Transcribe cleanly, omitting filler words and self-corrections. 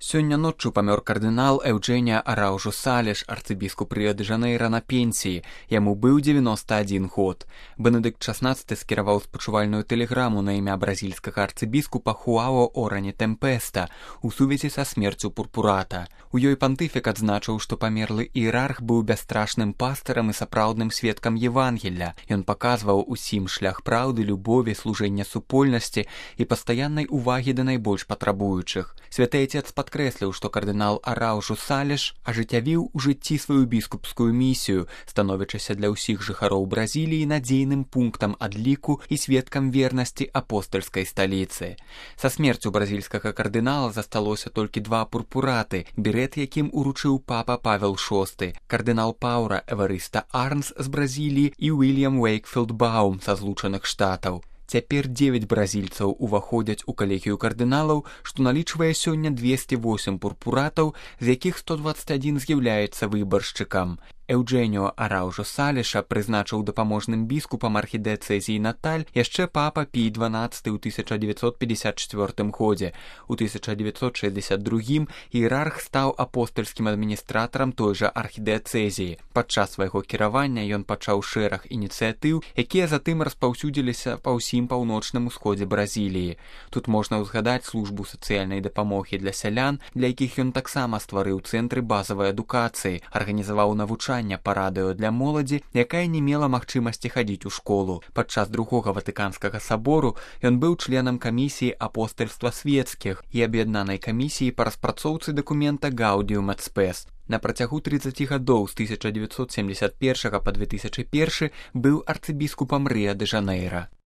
Сёння ноччу памёр кардынал Эўджэніа Араўжу Салеш, арцыбіскуп Рыё-дэ-Жанэйра на пенсіі. Яму быў 91 год. Бенедыкт XVI скіраваў спачувальную тэлеграму на імя бразільскага арцыбіскупа Хуао Орані Тэмпеста у сувязі са смерцю пурпурата. У ёй пантыфік адзначыў, што памерлы іерарх быў бясстрашным пастырам і сапраўдным сведкам Евангелля. Ён паказваў усім шлях праўды, любові, служэння супольнасці і пастаяннай увагі да найбольш патрабуючых. Святы Отец падкрэсліў, што кардынал Араўжу Салеш ажыццявіў у жыцці сваю біскупскую місію, становячыся для ўсіх жыхароў Бразіліі надзейным пунктам адліку і сведкам вернасці апостальскай сталіцы. Са смерцю бразільскага кардынала засталося толькі два пурпураты, берэт якім уручыў папа Павел VI, кардынал Паўра Эварыста Арнс з Бразіліі і Уільям Уэйкфілд Баум са Злучаных Штатаў. Цяпер 9 бразільцаў уваходзяць у калегію кардыналаў, што налічвае сёння 208 пурпуратаў, з якіх 121 з'яўляецца выбаршчыкам. Эўджэніо Араўжу Салеша прызначыў дапаможным біскупам архідыцэзіі Наталь яшчэ папа Пій XII ў 1954 годзе. У 1962 іерарх стаў апостальскім адміністратарам той жа архідыцэзіі. Падчас свайго кіравання ён пачаў шэраг ініцыятыў, якія затым распаўсюдзіліся па ўсім паўночным усходзе Бразіліі. Тут можна ўзгадаць службу сацыяльнай дапамогі для сялян, для якіх ён таксама стварыў цэнтры базавай адукацыі, арганізаваў навучанне па радыё для моладзі, якая не мела магчымасці хадзіць у школу. Падчас другога Ватыканскага сабору ён быў членам камісіі апостальства свецкіх і аб'яднанай камісіі па распрацоўцы дакумента Гаўдіум эт Спэс. На працягу 30 гадоў з 1971 па 2001 быў арцыбіскупам Рыё-дэ-Жанэйра.